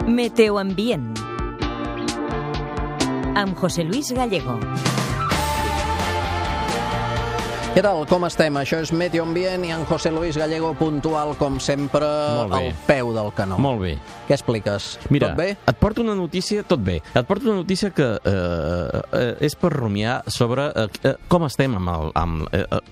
Meteoambient amb José Luis Gallego. Què tal? Com estem? Això és Meteoambient i en José Luis Gallego puntual, com sempre, al peu del canó. Molt bé. Què expliques? Mira, Tot bé? et porto una notícia, tot bé. Et porto una notícia que és per rumiar sobre com estem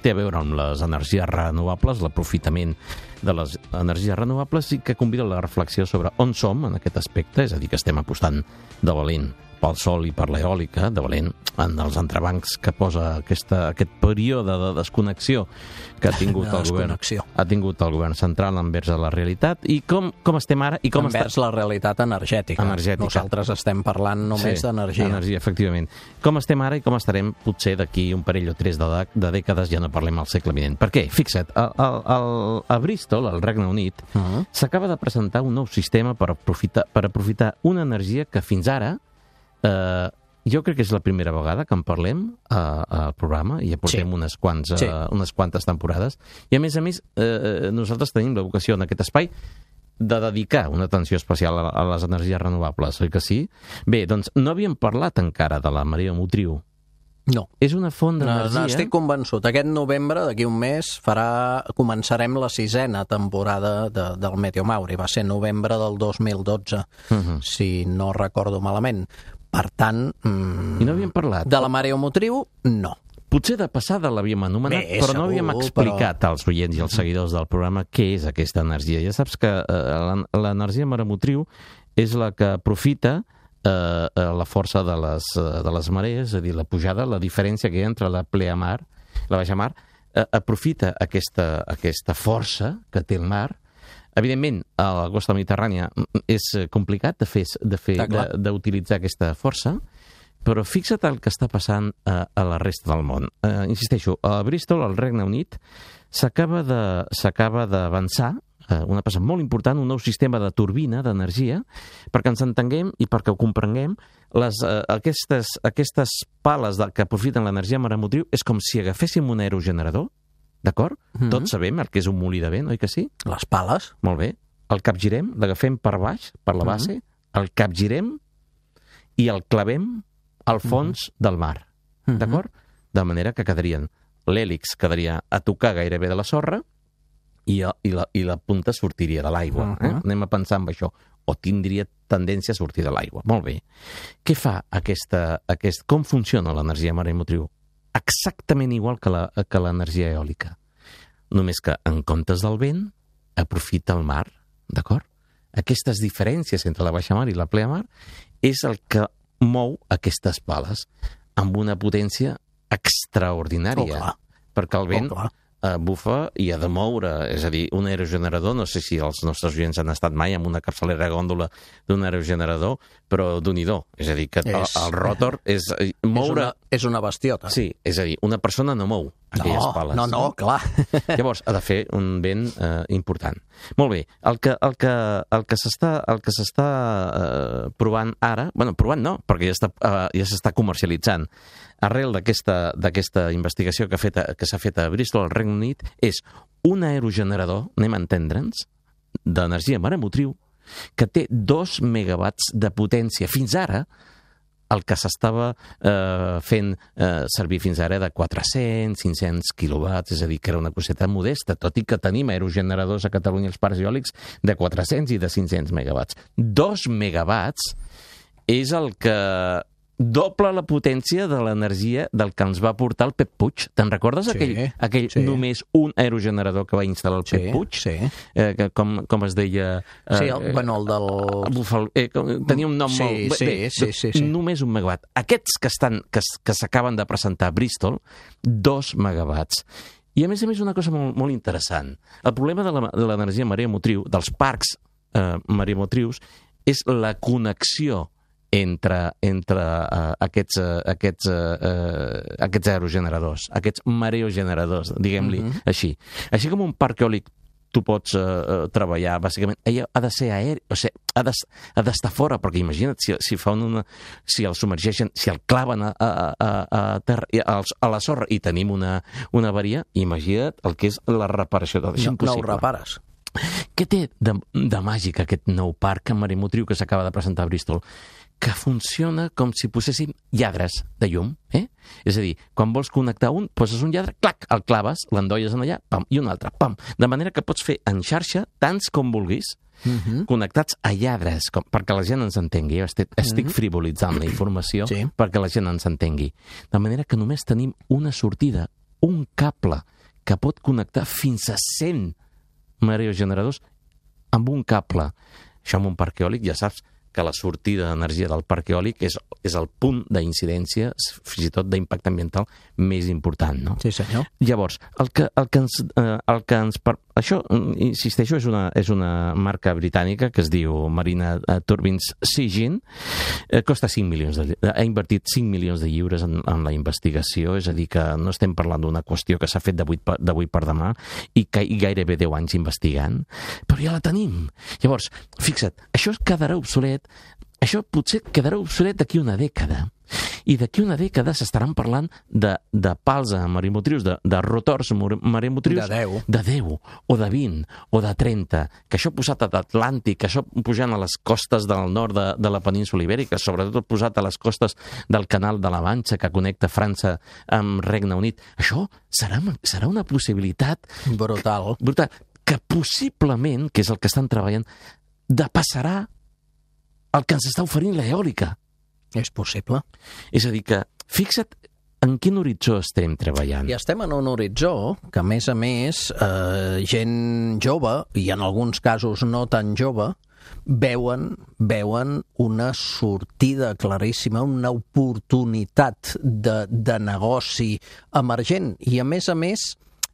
té a veure amb les energies renovables, l'aprofitament de les energies renovables, i que convida a la reflexió sobre on som en aquest aspecte, és a dir, que estem apostant de valent pel sol i per l'eòlica, de valent en els entrebancs que posa aquest període de desconnexió que ha tingut el govern central envers la realitat, i com estem ara i com envers la realitat energètica. Nosaltres estem parlant només d'energia. Energia, efectivament. Com estem ara i com estarem potser d'aquí un parell o tres de dècades, ja no parlem al segle vinent. Per què? Fixa't, a Bristol, al Regne Unit, s'acaba de presentar un nou sistema per aprofitar una energia que fins ara jo crec que és la primera vegada que en parlem al programa, i ja portem unes quantes temporades, i a més nosaltres tenim la vocació en aquest espai de dedicar una atenció especial a les energies renovables, oi que sí? Bé, doncs no havíem parlat encara de la marea motriu. No. És una font d'energia... Estic convençut. Aquest novembre, d'aquí un mes, començarem la 6a temporada del Meteomauri. Va ser novembre del 2012, si no recordo malament. Per tant... I no havíem parlat? De la mareomotriu, no. Potser de passada l'havíem anomenat, però no havíem explicat als oients i als seguidors del programa què és aquesta energia. Ja saps que l'energia mareomotriu és la que aprofita la força de les marees, és a dir, la pujada, la diferència que hi ha entre la pleamar, la baixamar, aprofita aquesta força que té el mar. Evidentment, a la costa mediterrània és complicat d'utilitzar aquesta força, però fixa't el que està passant a la resta del món. Insisteixo, a Bristol, al Regne Unit, s'acaba d'avançar una cosa molt important, un nou sistema de turbina d'energia, perquè ens entenguem i perquè ho comprenguem. Aquestes pales que aprofiten l'energia mareomotriu és com si agaféssim un aerogenerador, d'acord? Tots sabem el que és un molí de vent, oi que sí? Les pales. Molt bé. El capgirem, l'agafem per baix, per la base, el capgirem i el clavem al fons del mar, d'acord? De manera que l'hèlix quedaria a tocar gairebé de la sorra, i la punta sortiria de l'aigua. Anem a pensar en això. O tindria tendència a sortir de l'aigua. Molt bé. Què fa com funciona l'energia mareomotriu? Exactament igual que l'energia eòlica. Només que, en comptes del vent, aprofita el mar. D'acord? Aquestes diferències entre la baixamar i la pleamar és el que mou aquestes pales amb una potència extraordinària. Perquè el vent bufa i ha de moure, és a dir, un aerogenerador, no sé si els nostres oients han estat mai amb una capçalera gòndola d'un aerogenerador, però d'un-i-do, és a dir, que el rotor és moure... És una bestiota. Sí, és a dir, una persona no mou aquelles pales. No, clar. Llavors, ha de fer un vent important. Molt bé, el que s'està provant ara, provant no, perquè ja s'està comercialitzant, arrel d'aquesta investigació que s'ha fet a Bristol, al Regne Unit, és un aerogenerador, anem a entendre'ns, d'energia mareomotriu, que té 2 megawatts de potència. Fins ara, el que s'estava fent servir fins ara de 400, 500 quilowatts, és a dir, que era una coseta modesta, tot i que tenim aerogeneradors a Catalunya, els parcs eòlics, de 400 i de 500 megawatts. 2 megawatts és el que doble la potència de l'energia del que ens va portar el Pep Puig. Te'n recordes aquell només un aerogenerador que va instal·lar el Pep Puig? Sí. Com es deia? Sí, el del... Tenia un nom molt... Sí. Només 1 megawatt. Aquests que s'acaben de presentar a Bristol, 2 megawatts. I a més una cosa molt, molt interessant. El problema de l'energia mareomotriu, dels parcs mareomotrius, és la connexió entre aquests aerogeneradors, aquests mareogeneradors, diguem-li així. Així com un parc eòlic tu pots treballar, bàsicament, ella ha de ser aeri, o sigui, ha d'estar fora, perquè imagina't, si el submergeixen, si el claven a terra, a la sorra, i tenim una avaria, imagina't el que és la reparació. No ho repares. Què té de màgic aquest nou parc mareomotriu que s'acaba de presentar a Bristol? Que funciona com si poséssim lladres de llum. És a dir, quan vols connectar un, poses un lladre, clac, el claves, l'endolles en allà, pam, i un altre, pam. De manera que pots fer en xarxa tants com vulguis, connectats a lladres, perquè la gent ens entengui. Jo estic frivolitzant la informació perquè la gent ens entengui. De manera que només tenim una sortida, un cable, que pot connectar fins a 100 mareogeneradors amb un cable. Això amb un parc eòlic ja saps que la sortida d'energia del parc eòlic és el punt d'incidència, fins i tot d'impacte ambiental, més important, no? Sí, senyor. Llavors, això, insisteixo, és una marca britànica que es diu Marina Turbines Sigyn, costa 5 milions ha invertit 5 milions de lliures en la investigació, és a dir, que no estem parlant d'una qüestió que s'ha fet d'avui per demà i gairebé 10 anys investigant, però ja la tenim. Llavors, fixa't, això quedarà obsolet. Això potser quedarà obsolet d'aquí una dècada. I d'aquí una dècada s'estaran parlant de pals mareomotrius, de rotors mareomotrius de 10, o de 20, o de 30, que això posat a l'Atlàntic, que això pujant a les costes del nord de la península Ibèrica, sobretot posat a les costes del Canal de la Manxa, que connecta França amb Regne Unit. Això serà una possibilitat brutal, que possiblement, que és el que estan treballant, depassarà el que ens està oferint l'eòlica. És possible. És a dir que, fixa't en quin horitzó estem treballant. I estem en un horitzó que, a més, gent jove, i en alguns casos no tan jove, veuen una sortida claríssima, una oportunitat de negoci emergent. I, a més,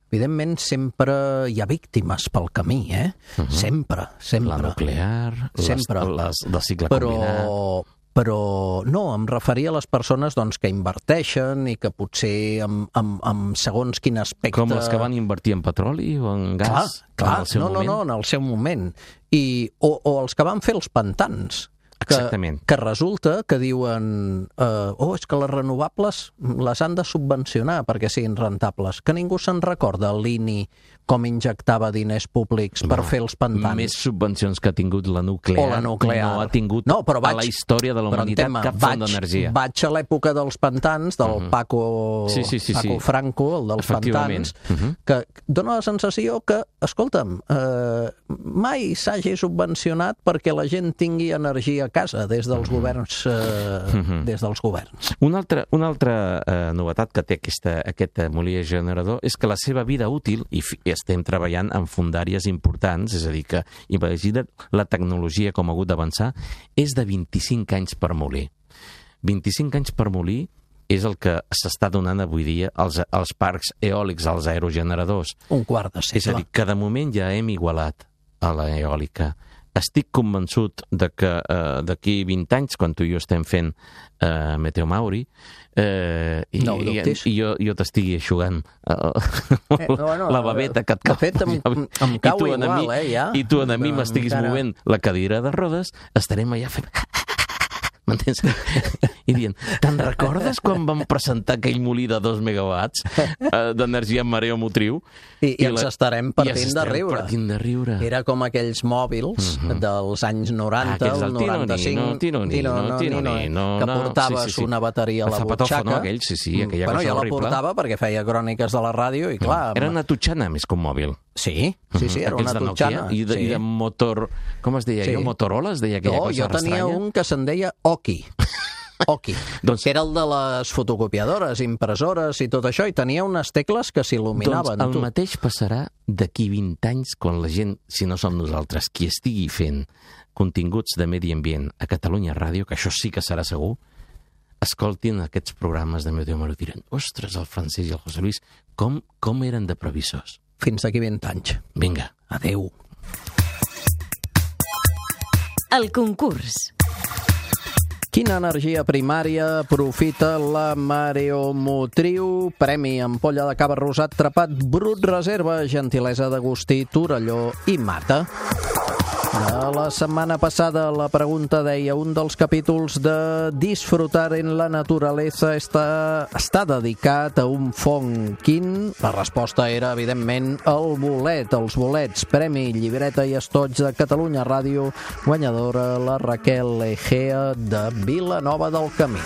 evidentment, sempre hi ha víctimes pel camí, Sempre. La nuclear, la cicle combinat. Però no, em referia a les persones que inverteixen i que potser amb segons quin aspecte... Com els que van invertir en petroli o en gas? Clar, no, en el seu moment. O els que van fer els pantans. Exactament. Que resulta que diuen és que les renovables les han de subvencionar perquè siguin rentables. Que ningú se'n recorda l'INI com injectava diners públics per fer els pantans. Més subvencions que ha tingut la nuclear. No ha tingut a la història de la humanitat cap font d'energia. Vaig a l'època dels pantans, del Paco Franco, el dels pantans, que dona la sensació que, escolta'm, mai s'hagi subvencionat perquè la gent tingui energia a casa des dels governs. Una altra novetat que té aquest molí generador és que la seva vida útil, i estem treballant en fondàries importants, és a dir, que imagina't la tecnologia com ha hagut d'avançar, és de 25 anys per molí. 25 anys per molí és el que s'està donant avui dia als parcs eòlics, als aerogeneradors. Un quart de segle. És a dir, que de moment ja hem igualat a l'eòlica. Estic convençut de que d'aquí 20 anys, quan tu i jo estem fent Meteo Mauri, i jo t'estigui eixugant la babeta que et cau. De fet, em cau igual, ja. I tu a mi m'estiguis movent la cadira de rodes, estarem allà fent... M'entens? I dient, te'n recordes quan vam presentar aquell molí de 2 megawatts d'energia mareomotriu? I ens estarem partint de riure. Era com aquells mòbils dels anys 90, el 95... que portaves una bateria a la butxaca. Aquella cosa horrible. Jo la portava perquè feia cròniques de la ràdio i clar... Era una tutxana més que un mòbil. Sí, era una tutxana. I de motor... Com es deia? Motorola es deia aquella cosa Jo estranya? tenia un que se'n deia Oki, que era el de les fotocopiadores, impressores i tot això, i tenia unes tecles que s'il·luminaven. Doncs el mateix passarà d'aquí 20 anys quan la gent, si no som nosaltres, qui estigui fent continguts de medi ambient a Catalunya Ràdio, que això sí que serà segur, escoltin aquests programes de Meteo Mauri i diran, ostres, el Francesc i el José Luis, com eren de previsors? Fins d'aquí 20 anys. Vinga. Adéu. El concurs. Quina energia primària aprofita la mareomotriu? Premi ampolla de cava rosat trapat Brut Reserva, gentilesa d'Agustí, Torelló i Mata. La setmana passada la pregunta deia: un dels capítols de Disfrutar en la naturaleza està dedicat a un fong. Quin? La resposta era, evidentment, el bolet. Els bolets, Premi Llibreta i Estoig de Catalunya Ràdio, guanyadora la Raquel Egea de Vilanova del Camí.